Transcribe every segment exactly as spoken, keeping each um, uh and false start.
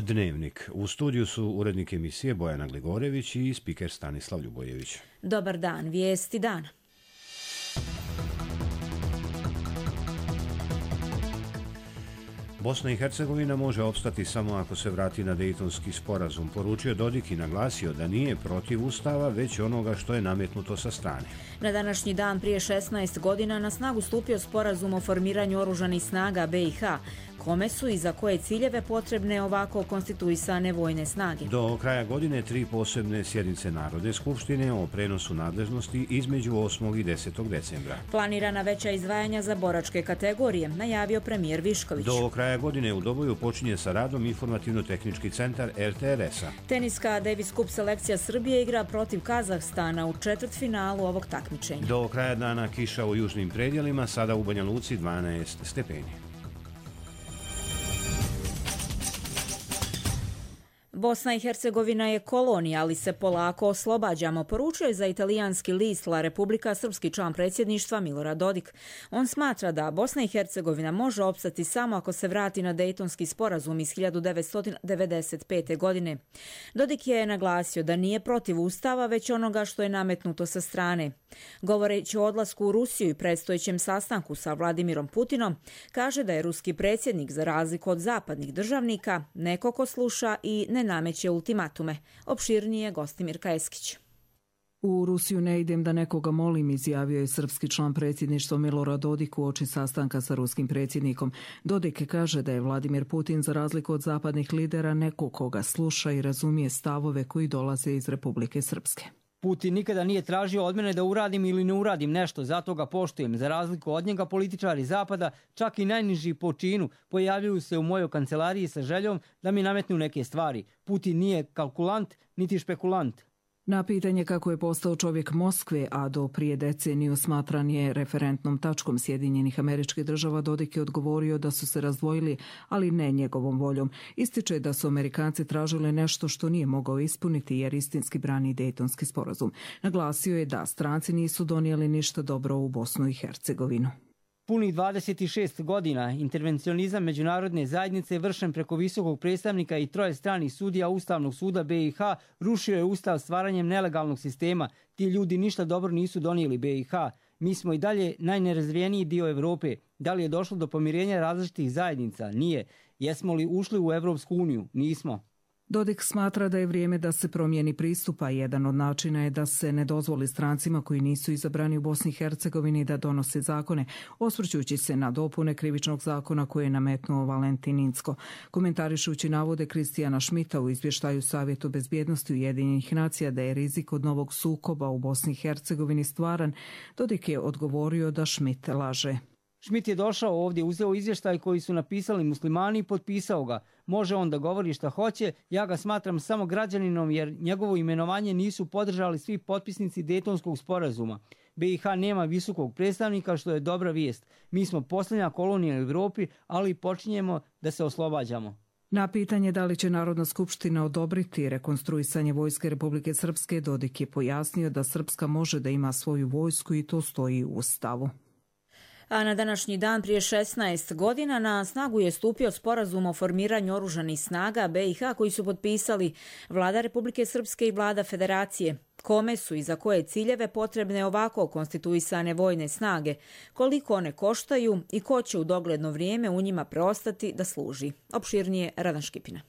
Dnevnik. U studiju su urednik emisije Bojana Gligorević i spiker Stanislav Ljubojević. Dobar dan, vijesti dana. Bosna i Hercegovina može opstati samo ako se vrati na Dejtonski sporazum, poručio Dodik i naglasio da nije protiv Ustava, već onoga što je nametnuto sa strane. Na današnji dan prije šesnaest godina na snagu stupio sporazum o formiranju oružanih snaga B i H, kome su i za koje ciljeve potrebne ovako konstituisane vojne snage. Do kraja godine tri posebne sjednice Narodne skupštine o prenosu nadležnosti između osmog i desetog decembra. Planirana veća izdvajanja za boračke kategorije, najavio premijer Višković. Do kraja godine u Doboju počinje sa radom informativno-tehnički centar R T R S-a. Teniska Davis Cup selekcija Srbije igra protiv Kazahstana u četvrtfinalu ovog takmičenja. Do kraja dana kiša u južnim predjelima, sada u Banja Luci dvanaest stepeni. Bosna i Hercegovina je kolonija, ali se polako oslobađamo, poručuje za italijanski list La Repubblica srpski član predsjedništva Milorad Dodik. On smatra da Bosna i Hercegovina može opstati samo ako se vrati na Dejtonski sporazum iz hiljadu devetsto devedeset pete. godine. Dodik je naglasio da nije protiv Ustava, već onoga što je nametnuto sa strane. Govoreći o odlasku u Rusiju i predstojećem sastanku sa Vladimirom Putinom, kaže da je ruski predsjednik, za razliku od zapadnih državnika, neko ko sluša i ne nameće ultimatume. Opširnije Gostimir Kajeskić. U Rusiju ne idem da nekoga molim, izjavio je srpski član predsjedništva Milorad Dodik uoči sastanka sa ruskim predsjednikom. Dodik kaže da je Vladimir Putin, za razliku od zapadnih lidera, neko koga sluša i razumije stavove koji dolaze iz Republike Srpske. Putin nikada nije tražio od mene da uradim ili ne uradim nešto, zato ga poštujem. Za razliku od njega, političari Zapada, čak i najniži po činu, pojavljuju se u mojoj kancelariji sa željom da mi nametnu neke stvari. Putin nije kalkulant, niti špekulant. Na pitanje kako je postao čovjek Moskve, a do prije deceniju smatran je referentnom tačkom Sjedinjenih Američkih Država, Dodik je odgovorio da su se razdvojili, ali ne njegovom voljom. Ističe da su Amerikanci tražili nešto što nije mogao ispuniti jer istinski brani Dejtonski sporazum. Naglasio je da stranci nisu donijeli ništa dobro u Bosnu i Hercegovinu. Punih dvadeset šest godina intervencionizam međunarodne zajednice vršen preko visokog predstavnika i troje stranih sudija Ustavnog suda B i H rušio je ustav stvaranjem nelegalnog sistema. Ti ljudi ništa dobro nisu donijeli B i H. Mi smo i dalje najnerazvijeniji dio Europe. Da li je došlo do pomirenja različitih zajednica? Nije. Jesmo li ušli u Evropsku uniju? Nismo. Dodik smatra da je vrijeme da se promijeni pristupa. Jedan od načina je da se ne dozvoli strancima koji nisu izabrani u Bosni i Hercegovini da donose zakone, osvrćući se na dopune krivičnog zakona koje je nametnuo Valentin Incko. Komentarišući navode Kristijana Šmita u izvještaju Savjetu bezbjednosti Ujedinjenih nacija da je rizik od novog sukoba u Bosni i Hercegovini stvaran, Dodik je odgovorio da Šmit laže. Šmit je došao ovdje, uzeo izvještaj koji su napisali muslimani i potpisao ga. Može on da govori šta hoće, ja ga smatram samo građaninom jer njegovo imenovanje nisu podržali svi potpisnici Dejtonskog sporazuma. B i H nema visokog predstavnika, što je dobra vijest. Mi smo posljednja kolonija u Europi, ali počinjemo da se oslobađamo. Na pitanje da li će Narodna skupština odobriti rekonstruisanje vojske Republike Srpske, Dodik je pojasnio da Srpska može da ima svoju vojsku i to stoji u Ustavu. A na današnji dan prije šesnaest godina na snagu je stupio sporazum o formiranju oružanih snaga B i H koji su potpisali Vlada Republike Srpske i Vlada Federacije. Kome su i za koje ciljeve potrebne ovako konstituisane vojne snage, koliko one koštaju i ko će u dogledno vrijeme u njima preostati da služi. Opširnije Radan Škipina.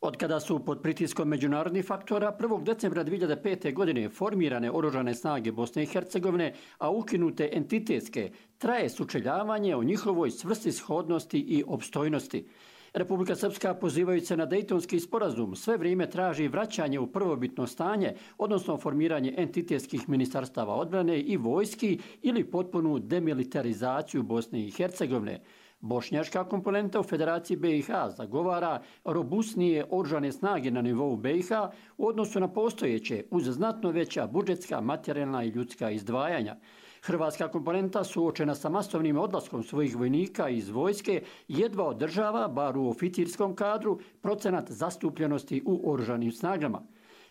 Od kada su pod pritiskom međunarodnih faktora prvog decembra dvije hiljade pete. godine formirane oružane snage Bosne i Hercegovine, a ukinute entitetske, traje sučeljavanje o njihovoj svrsishodnosti i opstojnosti. Republika Srpska, pozivajući se na Dejtonski sporazum, sve vrijeme traži vraćanje u prvobitno stanje, odnosno formiranje entitetskih ministarstava odbrane i vojski ili potpunu demilitarizaciju Bosne i Hercegovine. Bošnjačka komponenta u Federaciji B i H zagovara robustnije oružane snage na nivou B i H u odnosu na postojeće uz znatno veća budžetska, materijalna i ljudska izdvajanja. Hrvatska komponenta, suočena sa masovnim odlaskom svojih vojnika iz vojske, jedva održava, bar u oficirskom kadru, procenat zastupljenosti u oružanim snagama.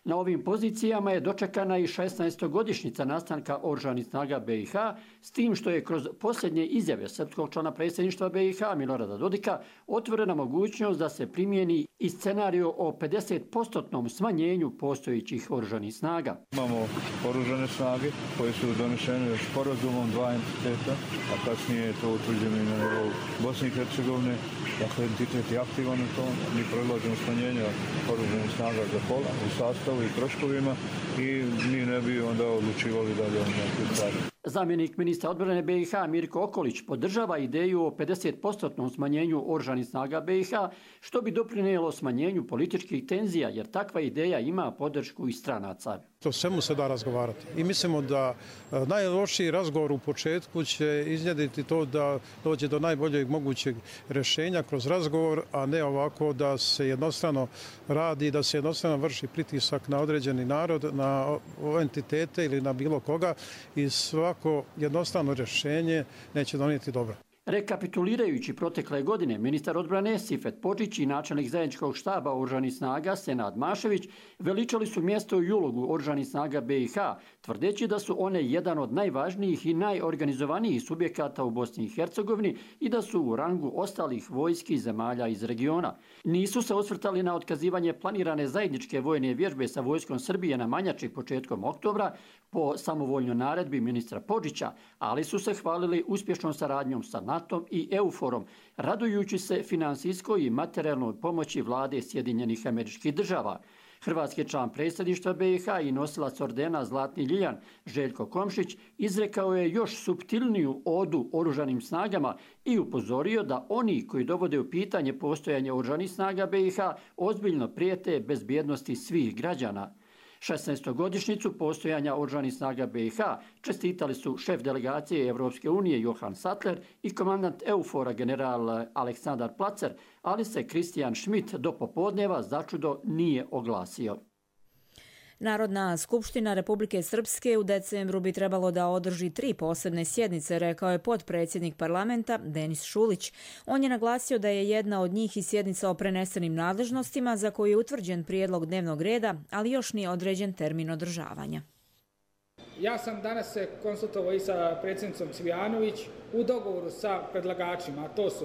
Na ovim pozicijama je dočekana i šesnaestogodišnjica nastanka oružanih snaga B i H, s tim što je kroz posljednje izjave srpskog člana predsjedništva B i H Milorada Dodika otvorena mogućnost da se primijeni i scenariju o pedeset posto smanjenju postojećih oružanih snaga. Imamo oružane snage koje su donesene sporazumom dva entiteta, a kasnije je to utvrđeno i na nivou Bosne i Hercegovine. Dakle, entitet je aktivan u tom, mi predlažemo smanjenja oružanih snaga za pola u sastavu i troškovima i mi ne bi onda odlučivali dalje o nekoj stvari. Zamjenik ministra odbrane B i H Mirko Okolić podržava ideju o pedeset posto smanjenju oružanih snaga B i H, što bi doprinijelo smanjenju političkih tenzija, jer takva ideja ima podršku i stranaca. To svemu se da razgovarati i mislimo da najlošiji razgovor u početku će iznjediti to da dođe do najboljeg mogućeg rješenja kroz razgovor, a ne ovako da se jednostrano radi, da se jednostrano vrši pritisak na određeni narod, na entitete ili na bilo koga i svako jednostrano rješenje neće donijeti dobro. Rekapitulirajući protekle godine, ministar odbrane Sifet Podžić i načelnik zajedničkog štaba oružanih snaga Senad Mašević veličali su mjesto i ulogu oružanih snaga B i H, tvrdeći da su one jedan od najvažnijih i najorganizovanijih subjekata u Bosni i Hercegovini i da su u rangu ostalih vojski zemalja iz regiona. Nisu se osvrtali na otkazivanje planirane zajedničke vojne vježbe sa vojskom Srbije na Manjači početkom oktobra po samovoljnoj naredbi ministra Podžića, ali su se hvalili uspješnom saradnjom sa NATO i EUFOR-om, radujući se finansijskoj i materijalnoj pomoći vlade Sjedinjenih Američkih Država. Hrvatski član predsjedništva B i H i nosilac ordena Zlatni Ljiljan Željko Komšić izrekao je još suptilniju odu oružanim snagama i upozorio da oni koji dovode u pitanje postojanje oružanih snaga B i H ozbiljno prijete bezbjednosti svih građana. šesnaestogodišnjicu postojanja oružanih snaga B i H čestitali su šef delegacije Evropske unije Johan Sattler i komandant EUFOR-a general Aleksandar Placer, ali se Kristijan Schmidt do popodneva začudo nije oglasio. Narodna skupština Republike Srpske u decembru bi trebalo da održi tri posebne sjednice, rekao je potpredsjednik parlamenta Denis Šulić. On je naglasio da je jedna od njih i sjednica o prenesenim nadležnostima za koju je utvrđen prijedlog dnevnog reda, ali još nije određen termin održavanja. Ja sam danas se konsultovao i sa predsjednicom Cvijanović u dogovoru sa predlagačima, a to su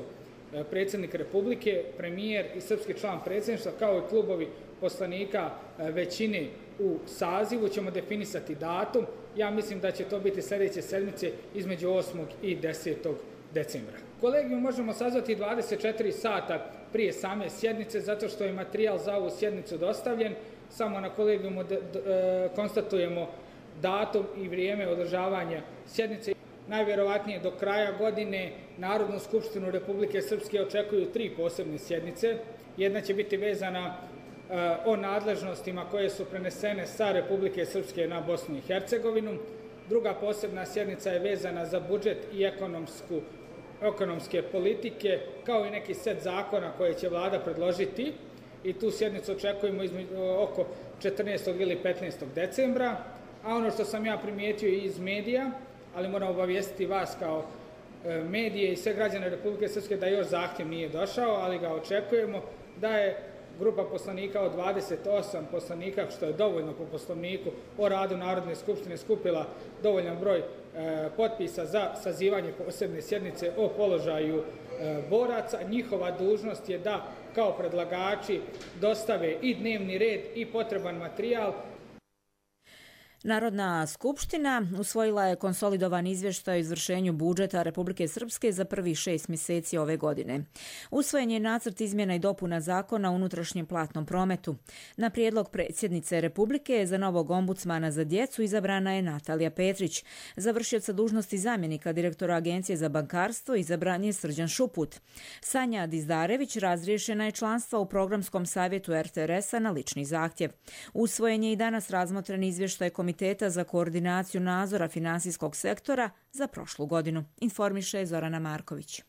predsjednik Republike, premijer i srpski član predsjedništva, kao i klubovi poslanika većine u sazivu, ćemo definisati datum. Ja mislim da će to biti sljedeće sedmice između osmog i desetog decembra. Kolegijum možemo sazvati dvadeset četiri sata prije same sjednice, zato što je materijal za ovu sjednicu dostavljen. Samo na kolegijumu konstatujemo datum i vrijeme održavanja sjednice. Najvjerovatnije do kraja godine Narodnu skupštinu Republike Srpske očekuju tri posebne sjednice. Jedna će biti vezana o nadležnostima koje su prenesene sa Republike Srpske na Bosnu i Hercegovinu. Druga posebna sjednica je vezana za budžet i ekonomsku, ekonomske politike, kao i neki set zakona koje će vlada predložiti. I tu sjednicu očekujemo između, oko četrnaestog ili petnaestog decembra. A ono što sam ja primijetio iz medija, ali moram obavijestiti vas kao medije i sve građane Republike Srpske da još zahtjev nije došao, ali ga očekujemo, da je grupa poslanika od dvadeset osam poslanika, što je dovoljno po poslovniku o radu Narodne skupštine, skupila dovoljan broj e, potpisa za sazivanje posebne sjednice o položaju e, boraca. Njihova dužnost je da kao predlagači dostave i dnevni red i potreban materijal. Narodna skupština usvojila je konsolidovan izvještaj o izvršenju budžeta Republike Srpske za prvih šest mjeseci ove godine. Usvojen je nacrt izmjena i dopuna zakona o unutrašnjem platnom prometu. Na prijedlog predsjednice Republike za novog ombudsmana za djecu izabrana je Natalija Petrić. Za vršioca dužnosti zamjenika direktora Agencije za bankarstvo izabran je Srđan Šuput. Sanja Dizdarević razriješena je članstva u programskom savjetu R T R S-a na lični zahtjev. Usvojen je i danas razmotren izvještaj Komiteta za koordinaciju nadzora finansijskog sektora za prošlu godinu, informiše Zorana Marković.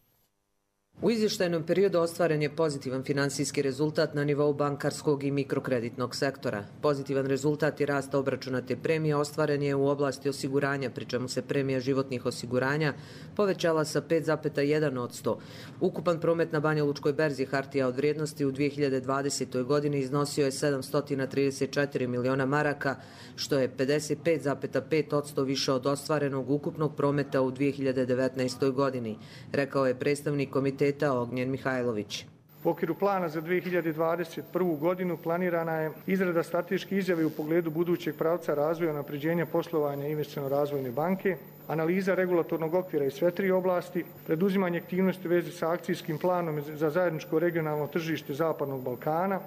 U izvještajnom periodu ostvaren je pozitivan finansijski rezultat na nivou bankarskog i mikrokreditnog sektora. Pozitivan rezultat i rast obračunate premije ostvaren je u oblasti osiguranja, pri čemu se premija životnih osiguranja povećala sa pet zarez jedan posto. Ukupan promet na Banjalučkoj berzi hartija od vrijednosti u dvije hiljade dvadesetoj godini iznosio je sedamsto trideset četiri miliona maraka, što je pedeset pet zarez pet posto više od ostvarenog ukupnog prometa u dvije hiljade devetnaestoj godini, rekao je predstavnik komiteta Ognjen Mihajlović. U okviru plana za dvije hiljade dvadeset prvu godinu planirana je izrada strateške izjave u pogledu budućeg pravca razvoja i unapređenja poslovanja Investiciono-razvojne banke, analiza regulatornog okvira iz sve tri oblasti, preduzimanje aktivnosti u vezi sa akcijskim planom za zajedničko regionalno tržište Zapadnog Balkana,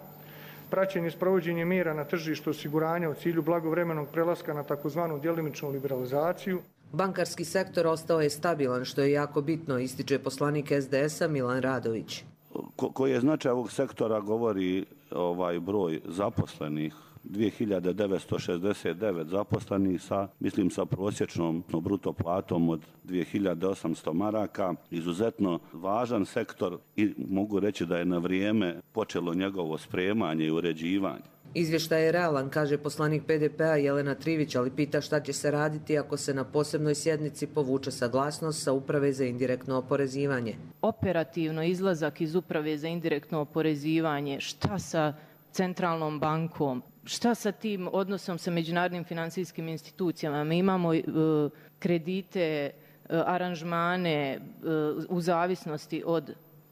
praćenje sprovođenja mjera na tržištu osiguranja u cilju blagovremenog prelaska na takozvanu djelimičnu liberalizaciju. Bankarski sektor ostao je stabilan, što je jako bitno, ističe poslanik es de es a Milan Radović. Ko, koji je značaj ovog sektora govori ovaj broj zaposlenih, dvije hiljade devetsto šezdeset devet zaposlenih sa, mislim, sa prosječnom bruto platom od dvije hiljade osamsto maraka. Izuzetno važan sektor i mogu reći da je na vrijeme počelo njegovo spremanje i uređivanje. Izvještaj je realan, kaže poslanik pe de pe a Jelena Trivić, ali pita šta će se raditi ako se na posebnoj sjednici povuče saglasnost sa Uprave za indirektno oporezivanje. Operativno izlazak iz Uprave za indirektno oporezivanje, šta sa centralnom bankom, šta sa tim odnosom sa međunarodnim financijskim institucijama? Mi imamo uh, kredite, uh, aranžmane uh, u zavisnosti od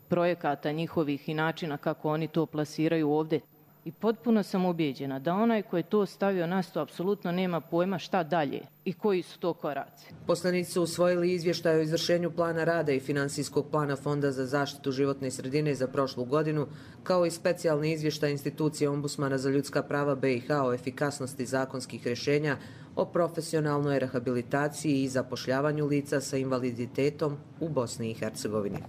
projekata njihovih i načina kako oni to plasiraju ovdje. I potpuno sam ubijeđena da onaj koji je to stavio na sto apsolutno nema pojma šta dalje i koji su to koraci. Poslanici su usvojili izvještaj o izvršenju plana rada i finansijskog plana Fonda za zaštitu životne sredine za prošlu godinu, kao i specijalni izvještaj institucije Ombudsmana za ljudska prava be i ha o efikasnosti zakonskih rješenja o profesionalnoj rehabilitaciji i zapošljavanju lica sa invaliditetom u Bosni i Hercegovini.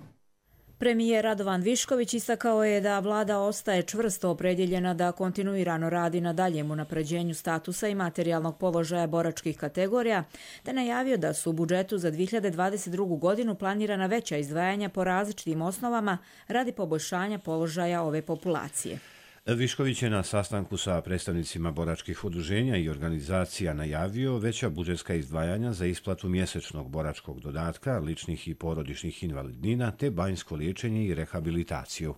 Premijer Radovan Višković istakao je da vlada ostaje čvrsto opredjeljena da kontinuirano radi na daljem unapređenju statusa i materijalnog položaja boračkih kategorija, te najavio da su u budžetu za dvije hiljade dvadeset drugu godinu planirana veća izdvajanja po različitim osnovama radi poboljšanja položaja ove populacije. Višković je na sastanku sa predstavnicima boračkih udruženja i organizacija najavio veća budžetska izdvajanja za isplatu mjesečnog boračkog dodatka, ličnih i porodičnih invalidnina te banjsko liječenje i rehabilitaciju.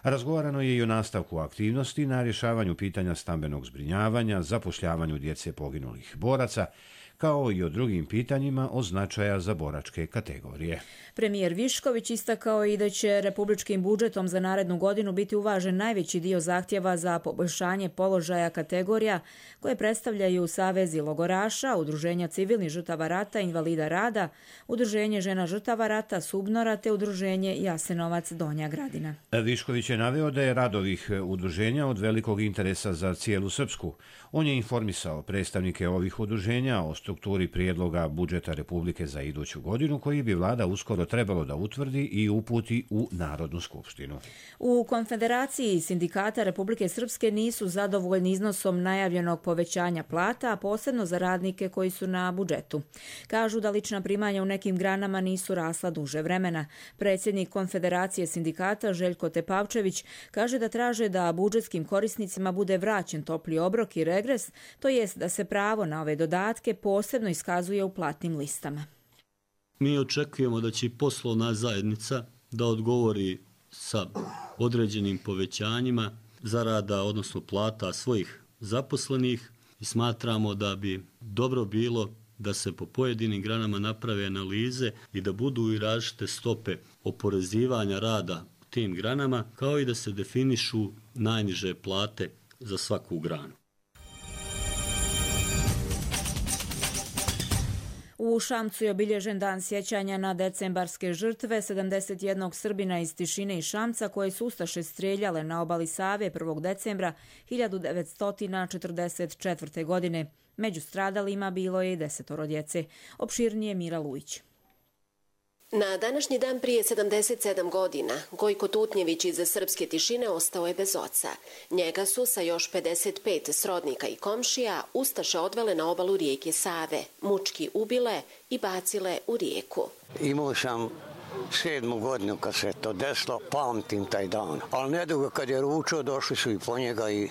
Razgovarano je i o nastavku aktivnosti na rješavanju pitanja stambenog zbrinjavanja, zapošljavanju djece poginulih boraca, kao i o drugim pitanjima od značaja za boračke kategorije. Premijer Višković istakao i da će republičkim budžetom za narednu godinu biti uvažen najveći dio zahtjeva za poboljšanje položaja kategorija koje predstavljaju Savezi logoraša, Udruženja civilnih žrtava rata, invalida rada, Udruženje žena žrtava rata, Subnora te Udruženje Jasenovac Donja Gradina. Višković je naveo da je rad ovih udruženja od velikog interesa za cijelu Srpsku. On je informisao predstavnike ovih udruženja o strukturi prijedloga budžeta Republike za iduću godinu, koji bi vlada uskoro trebalo da utvrdi i uputi u Narodnu skupštinu. U Konfederaciji sindikata Republike Srpske nisu zadovoljni iznosom najavljenog povećanja plata, a posebno za radnike koji su na budžetu. Kažu da lična primanja u nekim granama nisu rasla duže vremena. Predsjednik Konfederacije sindikata Željko Tepavčević kaže da traže da budžetskim korisnicima bude vraćen topli obrok i regres, to jest da se pravo na ove dodatke posebno iskazuje u platnim listama. Mi očekujemo da će poslovna zajednica da odgovori sa određenim povećanjima zarada, odnosno plata svojih zaposlenih, i smatramo da bi dobro bilo da se po pojedinim granama naprave analize i da budu i različite stope oporezivanja rada u tim granama, kao i da se definišu najniže plate za svaku granu. U Šamcu je obilježen dan sjećanja na decembarske žrtve sedamdeset jednog Srbina iz Tišine i Šamca koje su ustaše strijeljale na obali Save prvog decembra hiljadu devetsto četrdeset četvrte. godine. Među stradalima bilo je i desetoro djece. Opširnije Mira Lujić. Na današnji dan prije sedamdeset sedam godina Gojko Tutnjević iz srpske Tišine ostao je bez oca. Njega su sa još pedeset pet srodnika i komšija ustaše odvele na obalu rijeke Save, mučki ubile i bacile u rijeku. Imao sam sedmu godinu kad se to desilo, pamtim taj dan. Ali nedugo kad je ručao, došli su i po njega i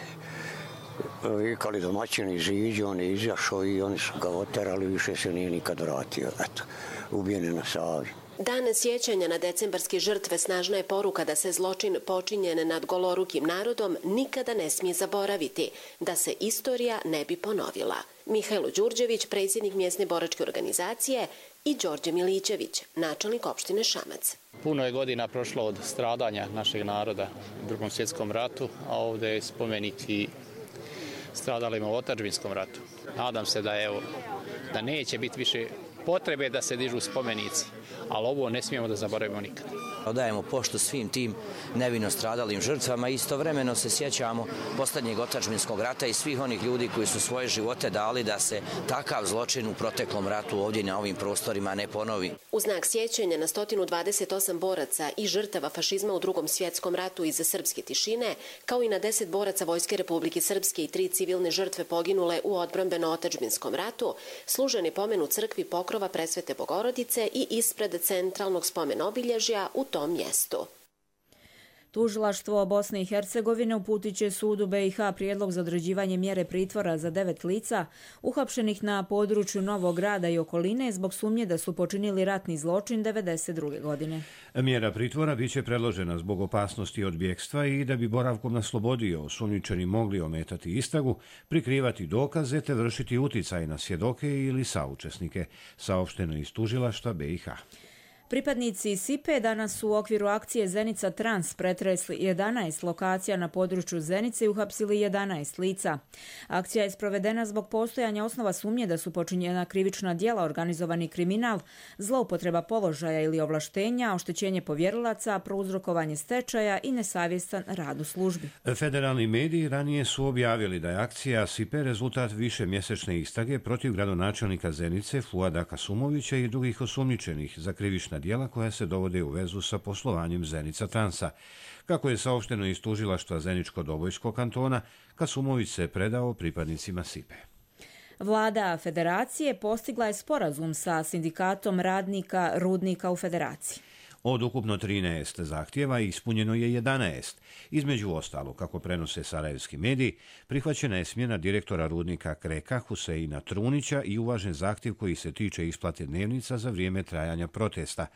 vikali domaćini Žiđi, on je izašao i oni su ga oterali, više se nije nikad vratio. Eto, ubijen je na Savi. Dan sjećanja na decembarske žrtve snažna je poruka da se zločin počinjen nad golorukim narodom nikada ne smije zaboraviti, da se istorija ne bi ponovila. Mihajlo Đurđević, predsjednik mjesne boračke organizacije, i Đorđe Milićević, načelnik opštine Šamac. Puno je godina prošlo od stradanja našeg naroda u Drugom svjetskom ratu, a ovdje je spomenik i stradalima u Otadžbinskom ratu. Nadam se da, evo, da neće biti više potrebe da se dižu spomenici, ali ovo ne smijemo da zaboravimo nikad. Odajemo poštu svim tim nevino stradalim žrtvama i istovremeno se sjećamo posljednjeg Otadžbinskog rata i svih onih ljudi koji su svoje živote dali da se takav zločin u proteklom ratu ovdje na ovim prostorima ne ponovi. U znak sjećanja na sto dvadeset osam boraca i žrtava fašizma u Drugom svjetskom ratu iz Srpske tišine, kao i na deset boraca Vojske Republike Srpske i tri civilne žrtve poginule u odbrambeno-otadžbinskom ratu, služen je pomen u crkvi Pokrova Presvete Bogorodice i ispred centralnog spomen obilježja u tom mjestu. Tužilaštvo Bosne i Hercegovine uputit će sudu B i H prijedlog za određivanje mjere pritvora za devet lica uhapšenih na području Novog Grada i okoline zbog sumnje da su počinili ratni zločin devedeset druge godine. Mjera pritvora biće predložena zbog opasnosti od bjekstva i da bi boravkom na slobodi osumnjičeni mogli ometati istragu, prikrivati dokaze te vršiti uticaj na svjedoke ili saučesnike, saopšteno iz tužilaštva B i H. Pripadnici S I P E danas su u okviru akcije Zenica Trans pretresli jedanaest lokacija na području Zenice i uhapsili jedanaest lica. Akcija je sprovedena zbog postojanja osnova sumnje da su počinjena krivična djela, organizovani kriminal, zloupotreba položaja ili ovlaštenja, oštećenje povjerilaca, prouzrokovanje stečaja i nesavjestan rad u službi. Federalni mediji ranije su objavili da je akcija S I P E rezultat više mjesečne istrage protiv gradonačelnika Zenice Fuada Kasumovića i drugih osumnjičenih za krivična djela koja se dovode u vezu sa poslovanjem Zenica Transa. Kako je saopšteno iz tužilaštva Zeničko-Dobojskog kantona, Kasumović se predao pripadnicima S I P E. Vlada Federacije postigla je sporazum sa sindikatom radnika rudnika u Federaciji. Od ukupno trinaest zahtjeva ispunjeno je jedanaest. Između ostalo, kako prenose sarajevski mediji, prihvaćena je smjena direktora rudnika Kreka Huseina Trunića i uvažen zahtjev koji se tiče isplate dnevnica za vrijeme trajanja protesta.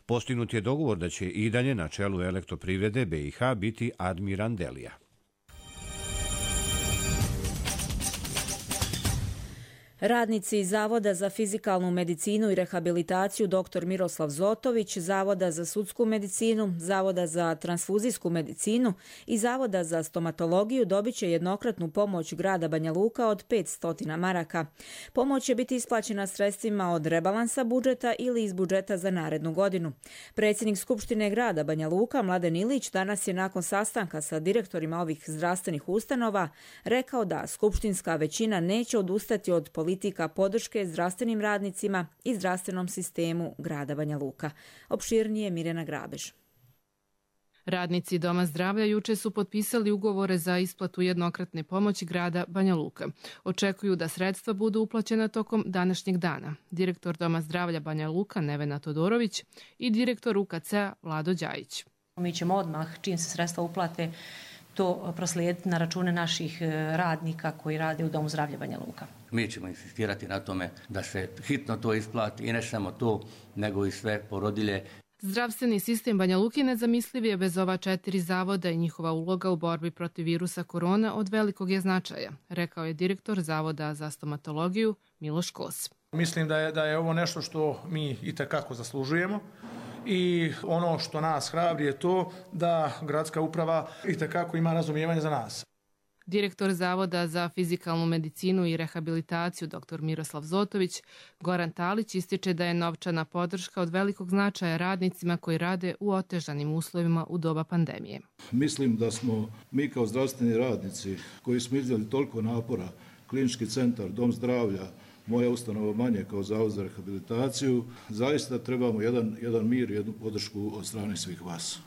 Postignut je dogovor da će i dalje na čelu elektroprivrede B i H biti Admiran Delija. Radnici Zavoda za fizikalnu medicinu i rehabilitaciju dr Miroslav Zotović, Zavoda za sudsku medicinu, Zavoda za transfuzijsku medicinu i Zavoda za stomatologiju dobit će jednokratnu pomoć grada Banja Luka od petsto maraka. Pomoć će biti isplaćena sredstvima od rebalansa budžeta ili iz budžeta za narednu godinu. Predsjednik Skupštine grada Banja Luka, Mladen Ilić, danas je nakon sastanka sa direktorima ovih zdravstvenih ustanova rekao da skupštinska većina neće odustati od politika podrške zdravstvenim radnicima i zdravstvenom sistemu grada Banja Luka. Opširnije Mirjana Grabež. Radnici Doma zdravlja juče su potpisali ugovore za isplatu jednokratne pomoći grada Banja Luka. Očekuju da sredstva budu uplaćena tokom današnjeg dana. Direktor Doma zdravlja Banja Luka Nevena Todorović i direktor U K C-a Vlado Đajić. Mi ćemo odmah, čim se sredstva uplate, to proslijediti na račune naših radnika koji rade u Domu zdravlja Banja Luka. Mi ćemo insistirati na tome da se hitno to isplati i ne samo to, nego i sve porodilje. Zdravstveni sistem Banja Luke nezamisliv je bez ova četiri zavoda i njihova uloga u borbi protiv virusa korona od velikog je značaja, rekao je direktor Zavoda za stomatologiju Miloš Kos. Mislim da je, da je ovo nešto što mi itekako zaslužujemo. I ono što nas hrabri je to da gradska uprava itekako ima razumijevanje za nas. Direktor Zavoda za fizikalnu medicinu i rehabilitaciju dr Miroslav Zotović Goran Talić ističe da je novčana podrška od velikog značaja radnicima koji rade u otežanim uslovima u doba pandemije. Mislim da smo mi kao zdravstveni radnici koji smo izdjeli toliko napora, klinički centar, dom zdravlja, moja ustanova manje kao Zavod za rehabilitaciju, zaista trebamo jedan, jedan mir, jednu podršku od strane svih vas.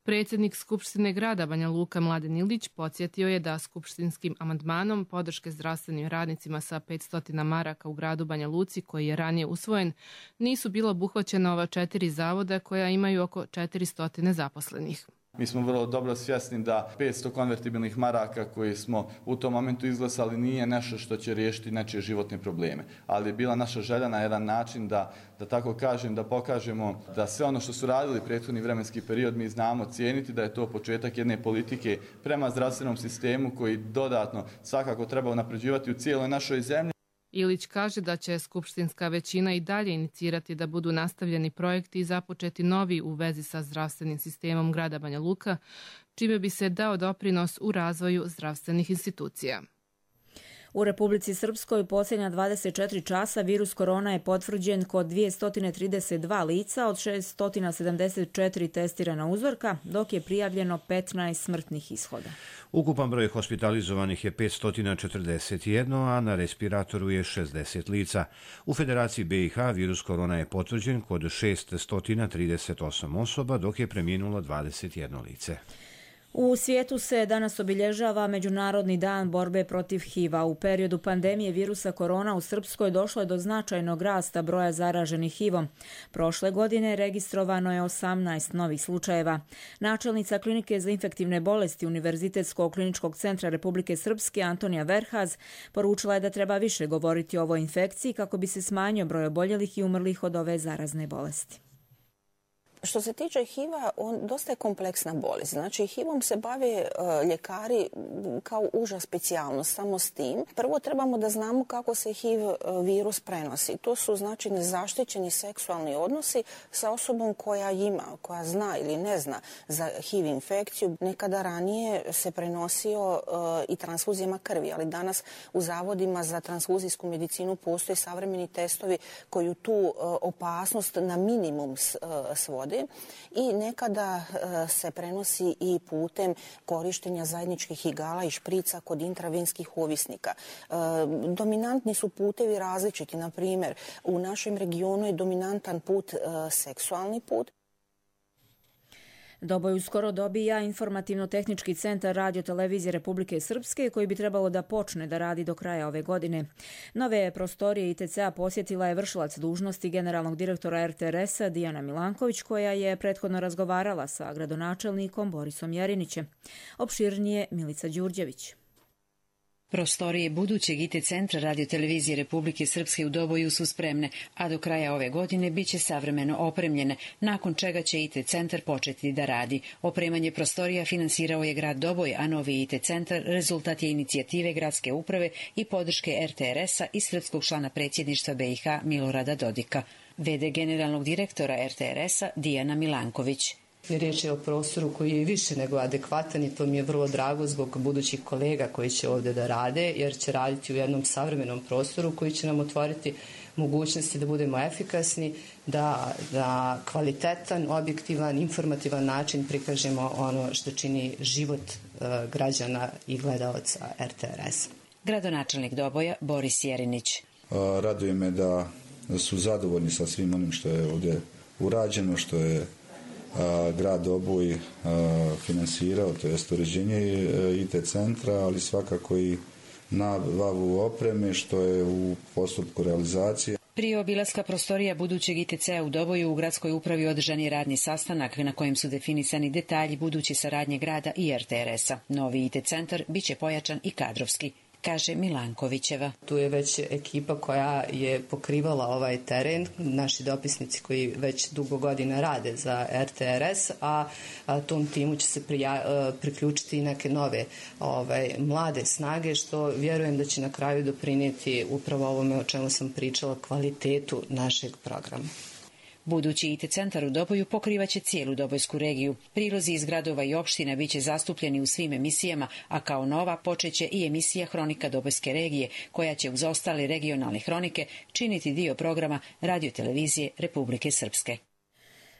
Predsjednik Skupštine grada Banja Luka Mladen Ilić podsjetio je da skupštinskim amandmanom podrške zdravstvenim radnicima sa petsto maraka u gradu Banja Luci, koji je ranije usvojen, nisu bila obuhvaćena ova četiri zavoda koja imaju oko četiristo zaposlenih. Mi smo vrlo dobro svjesni da petsto konvertibilnih maraka koji smo u tom momentu izglasali nije nešto što će riješiti nečije životne probleme. Ali je bila naša želja na jedan način da, da tako kažem, da pokažemo da sve ono što su radili prethodni vremenski period mi znamo cijeniti, da je to početak jedne politike prema zdravstvenom sistemu koji dodatno svakako treba unapređivati u cijeloj našoj zemlji. Ilić kaže da će skupštinska većina i dalje inicirati da budu nastavljeni projekti i započeti novi u vezi sa zdravstvenim sistemom grada Banja Luka, čime bi se dao doprinos u razvoju zdravstvenih institucija. U Republici Srpskoj posljednja dvadeset četiri časa virus korona je potvrđen kod dvjesto trideset dva lica od šesto sedamdeset četiri testirana uzorka, dok je prijavljeno petnaest smrtnih ishoda. Ukupan broj hospitalizovanih je petsto četrdeset jedan, a na respiratoru je šezdeset lica. U Federaciji B i H virus korona je potvrđen kod šesto trideset osam osoba, dok je preminulo dvadeset jedno lice. U svijetu se danas obilježava Međunarodni dan borbe protiv H I V-a. U periodu pandemije virusa korona u Srpskoj došlo je do značajnog rasta broja zaraženih H I V-om. Prošle godine registrovano je osamnaest novih slučajeva. Načelnica Klinike za infektivne bolesti Univerzitetskog kliničkog centra Republike Srpske Antonija Verhaz poručila je da treba više govoriti o ovoj infekciji kako bi se smanjio broj oboljelih i umrlih od ove zarazne bolesti. Što se tiče H I V-a, on dosta je kompleksna bolest. Znači, H I V-om se bave uh, ljekari kao uža specijalnost, samo s tim. Prvo trebamo da znamo kako se H I V virus prenosi. To su, znači, nezaštićeni seksualni odnosi sa osobom koja ima, koja zna ili ne zna za H I V infekciju. Nekada ranije se prenosio uh, i transfuzijama krvi, ali danas u zavodima za transfuzijsku medicinu postoje savremeni testovi koji tu uh, opasnost na minimum uh, svode. I nekada uh, se prenosi i putem korištenja zajedničkih igala i šprica kod intravenskih ovisnika. Uh, dominantni su putevi različiti. Na primjer, u našem regionu je dominantan put uh, seksualni put. Doboj uskoro dobija informativno-tehnički centar Radio-televizije Republike Srpske koji bi trebalo da počne da radi do kraja ove godine. Nove prostorije I T C-a posjetila je vršilac dužnosti generalnog direktora R T R S-a Dijana Milanković, koja je prethodno razgovarala sa gradonačelnikom Borisom Jerinićem. Opširnije Milica Đurđević. Prostorije budućeg I T centra Radio-televizije Republike Srpske u Doboju su spremne, a do kraja ove godine biće savremeno opremljene, nakon čega će I T centar početi da radi. Opremanje prostorija finansirao je grad Doboj, a novi I T centar rezultat je inicijative gradske uprave i podrške R T R S-a i srpskog člana predsjedništva B i H Milorada Dodika. V D generalnog direktora R T R S-a Dijana Milanković. Riječ je o prostoru koji je više nego adekvatan i to mi je vrlo drago zbog budućih kolega koji će ovdje da rade, jer će raditi u jednom savremenom prostoru koji će nam otvoriti mogućnosti da budemo efikasni, da na kvalitetan, objektivan, informativan način prikažemo ono što čini život uh, građana i gledalaca R T R S-a. Gradonačelnik Doboja Boris Jerinić. Raduje me da su zadovoljni sa svim onim što je ovdje urađeno, što je grad Doboj finansirao, to jest uređenje I T centra, ali svakako i nabavu opreme što je u postupku realizacije. Prije obilaska prostorija budućeg I T C-a u Doboju u gradskoj upravi održan je radni sastanak na kojem su definisani detalji buduće saradnje grada i R T R S-a. Novi I T centar biće pojačan i kadrovski, kaže Milankovićeva. Tu je već ekipa koja je pokrivala ovaj teren, naši dopisnici koji već dugo godina rade za R T R S, a, a tom timu će se prija, priključiti i neke nove ovaj, mlade snage, što vjerujem da će na kraju doprinijeti upravo ovome o čemu sam pričala, kvalitetu našeg programa. Budući I T centar u Doboju pokrivaće cijelu Dobojsku regiju. Prilozi iz gradova i opština biće zastupljeni u svim emisijama, a kao nova počeće i emisija Hronika Dobojske regije, koja će uz ostale regionalne hronike činiti dio programa Radio-televizije Republike Srpske.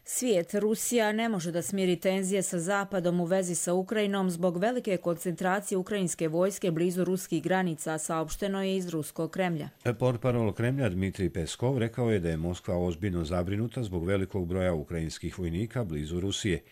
Svijet, Rusija ne može da smiri tenzije sa Zapadom u vezi sa Ukrajinom zbog velike koncentracije ukrajinske vojske blizu ruskih granica, saopšteno je iz ruskog Kremlja. Portparol Kremlja Dmitrij Peskov rekao je da je Moskva ozbiljno zabrinuta zbog velikog broja ukrajinskih vojnika blizu Rusije.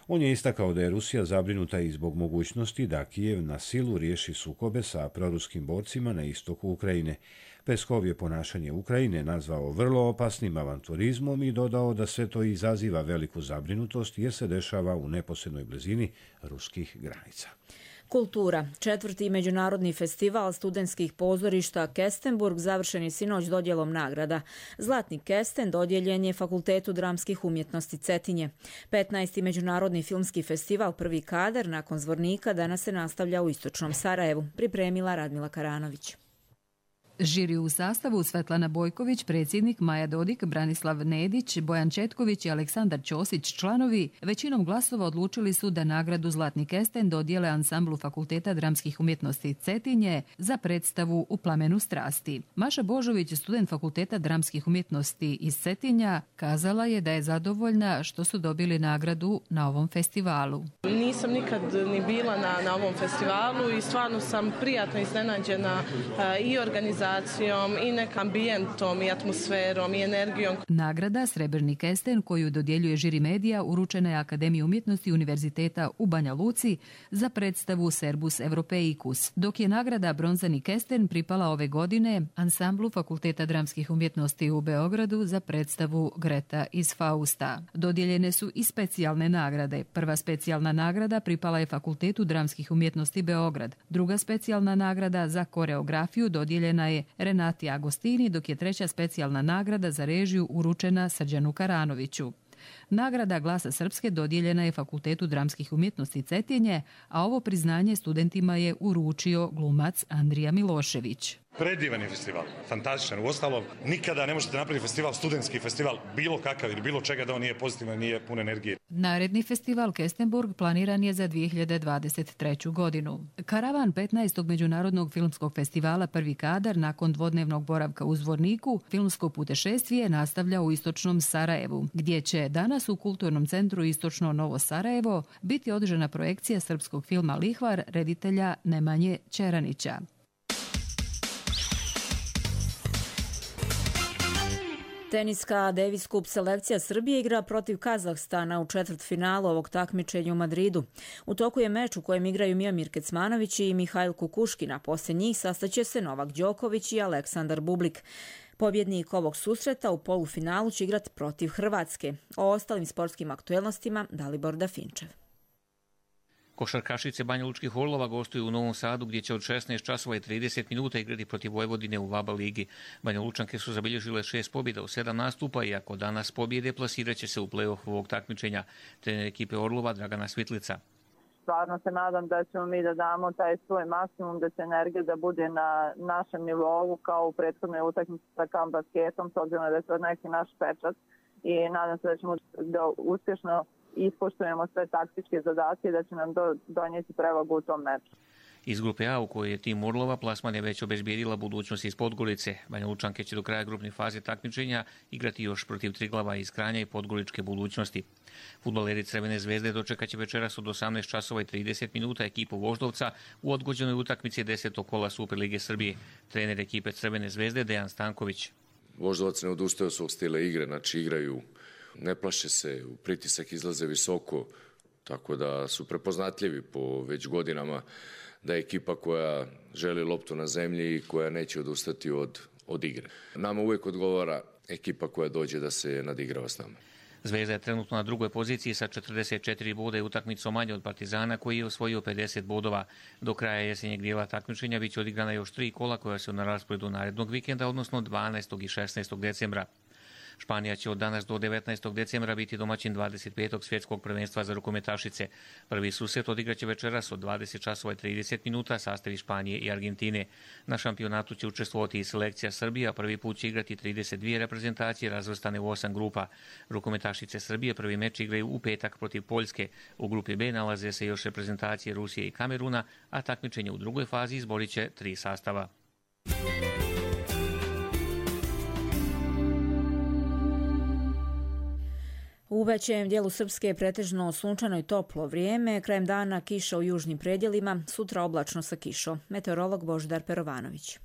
On je istakao da je Rusija zabrinuta i zbog mogućnosti da Kijev na silu riješi sukobe sa proruskim borcima na istoku Ukrajine. Peskov je ponašanje Ukrajine nazvao vrlo opasnim avanturizmom i dodao da sve to izaziva veliku zabrinutost jer se dešava u neposrednoj blizini ruskih granica. Kultura. Četvrti međunarodni festival studentskih pozorišta Kestenburg završen je sinoć dodjelom nagrada. Zlatni kesten dodijeljen je Fakultetu dramskih umjetnosti Cetinje. petnaesti međunarodni filmski festival Prvi kadar nakon Zvornika danas se nastavlja u istočnom Sarajevu. Pripremila Radmila Karanović. Žiri u sastavu Svetlana Bojković, predsjednik, Maja Dodik, Branislav Nedić, Bojan Četković i Aleksandar Ćosić, članovi, većinom glasova odlučili su da nagradu Zlatni kesten dodijele ansamblu Fakulteta dramskih umjetnosti Cetinje za predstavu U plamenu strasti. Maša Božović, student Fakulteta dramskih umjetnosti iz Cetinja, kazala je da je zadovoljna što su dobili nagradu na ovom festivalu. Nisam nikad ni bila na, na ovom festivalu i stvarno sam prijatno iznenađena i organizacijom i nek ambijentom i atmosferom i energijom. Nagrada Srebrni kesten koju dodjeljuje žiri medija uručena je Akademiji umjetnosti Univerziteta u Banja Luci za predstavu Serbus Europeicus, dok je nagrada Bronzani kesten pripala ove godine ansamblu Fakulteta dramskih umjetnosti u Beogradu za predstavu Greta iz Fausta. Dodijeljene su i specijalne nagrade. Prva specijalna nagrada pripala je Fakultetu dramskih umjetnosti Beograd. Druga specijalna nagrada za koreografiju dodijeljena je Renati Agostini, dok je treća specijalna nagrada za režiju uručena Srđanu Karanoviću. Nagrada Glasa Srpske dodijeljena je Fakultetu dramskih umjetnosti Cetinje, a ovo priznanje studentima je uručio glumac Andrija Milošević. Predivan je festival, fantastičan. Uostalom, nikada ne možete napraviti festival, studentski festival, bilo kakav ili bilo čega da on nije pozitivan, nije pun energije. Naredni festival Kestenburg planiran je za dvije hiljade dvadeset treću godinu. Karavan petnaestog međunarodnog filmskog festivala Prvi kadar nakon dvodnevnog boravka u Zvorniku filmsko putešestvije nastavlja u istočnom Sarajevu, gdje će danas u Kulturnom centru Istočno Novo Sarajevo biti održana projekcija srpskog filma Lihvar reditelja Nemanje Čeranića. Teniska Davis Cup selekcija Srbije igra protiv Kazahstana u četvrtfinalu ovog takmičenja u Madridu. U toku je meč u kojem igraju Miomir Kecmanović i Mihajl Kukuškin, a poslije njih sastaće se Novak Đoković i Aleksandar Bublik. Pobjednik ovog susreta u polufinalu će igrati protiv Hrvatske. O ostalim sportskim aktuelnostima Dalibor Dafinčev. Košarkašice Banja Lučkih Orlova gostuju u Novom Sadu gdje će od šesnaest časova i trideset minuta igrati protiv Vojvodine u Vaba ligi. Banja Lučanke su zabilježile šest pobjeda u sedam nastupa i ako danas pobjede plasirat će se u play-off ovog takmičenja. Trener ekipe Orlova Dragana Svitlica. Stvarno se nadam da ćemo mi da damo taj svoj maksimum, da će energija da bude na našem nivou kao u prethodnoj utakmici sa Kam basketom, s obzirom da je to neki naš pečat i nadam se da ćemo da uspješno ispoštujemo sve taktičke zadatke da će nam do, donijeti prevagu u tom meču. Iz grupe A u kojoj je tim Orlova plasman je već obezbijedila budućnost iz Podgorice. Banja Lučanke će do kraja grupne faze takmičenja igrati još protiv Triglava iz Kranja i Podgoričke budućnosti. Fudbaleri Crvene zvezde dočekat će večeras od osamnaest časova i trideset minuta ekipu Voždovca u odgođenoj utakmici desetog kola Superlige Srbije. Trener ekipe Crvene zvezde Dejan Stanković. Voždovac ne odustaje od svog stila igre, znači igraju, ne plaše se, pritisak izlaze visoko, tako da su prepoznatljivi po već godinama da je ekipa koja želi loptu na zemlji i koja neće odustati od, od igre. Nama uvijek odgovara ekipa koja dođe da se nadigrava s nama. Zvezda je trenutno na drugoj poziciji sa četrdeset četiri boda i utakmicom manje od Partizana koji je osvojio pedeset bodova. Do kraja jesenjeg dijela takmičenja biće odigrana još tri kola koja su na rasporedu narednog vikenda, odnosno dvanaestog i šesnaestog decembra. Španija će od danas do devetnaestog decembra biti domaćin dvadeset petog svjetskog prvenstva za rukometašice. Prvi susret odigraće večeras od dvadeset časova i trideset minuta sastavi Španije i Argentine. Na šampionatu će učestvovati i selekcija Srbije, a prvi put će igrati trideset dvije reprezentacije razvrstane u osam grupa. Rukometašice Srbije prvi meč igraju u petak protiv Poljske. U grupi B nalaze se još reprezentacije Rusije i Kameruna, a takmičenje u drugoj fazi izborit će tri sastava. U većem dijelu Srpske je pretežno sunčano i toplo vrijeme, krajem dana kiša u južnim predjelima, sutra oblačno sa kišom. Meteorolog Božidar Perovanović.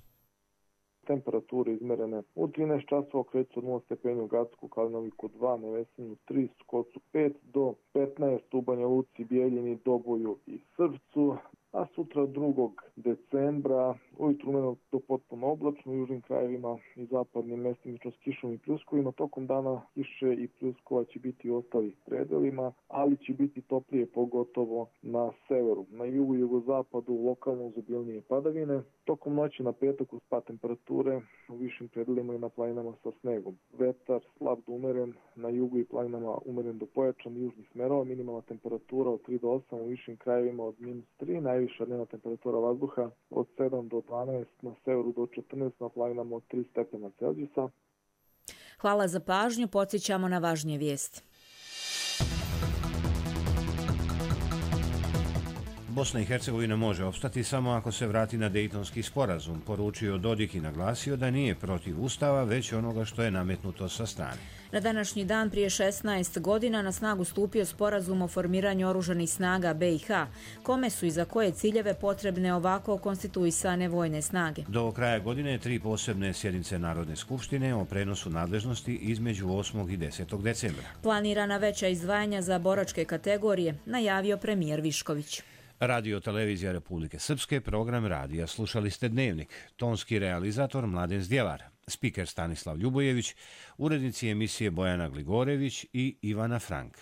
temperature izmerene u trinaest časova kreću od nula stepeni u Gacku, Kalinoviku dva, Nevesinju tri, Skocu pet do petnaest u Banja Luci, Bijeljini, Doboju i Srpcu. A sutra drugog decembra ujutru umjereno do potpuno oblačno u južnim krajevima i zapadnim mestimično s kišom i pljuskovima. Tokom dana kiše i pljuskova će biti u ostalih predelima, ali će biti toplije pogotovo na severu. Na jugu i jugozapadu lokalno uzobilnije padavine. Tokom noći na petak uz pad temperature u višim predelima i na planinama sa snegom. Vetar slab do umeren, na jugu i planinama umeren do pojačan južnih smerova, minimalna temperatura od tri do osam, u višim krajevima od minus tri, najviša dnevna temperatura vazduha od sedam do dvanaest, na severu do četrnaest, na planinama od tri stepena Celzijusa. Hvala za pažnju, podsjećamo na važnije vijesti. Bosna i Hercegovina može opstati samo ako se vrati na Dejtonski sporazum, poručio Dodik i naglasio da nije protiv Ustava, već onoga što je nametnuto sa strane. Na današnji dan prije šesnaest godina na snagu stupio sporazum o formiranju oružanih snaga B i H, kome su i za koje ciljeve potrebne ovako konstituisane vojne snage. Do kraja godine tri posebne sjednice Narodne skupštine o prenosu nadležnosti između osmog i desetog decembra. Planirana veća izdvajanja za boračke kategorije, najavio premijer Višković. Radio Televizija Republike Srpske, program radija slušali ste Dnevnik, tonski realizator Mladen Zdjelar, spiker Stanislav Ljubojević, urednici emisije Bojana Gligorević i Ivana Frank.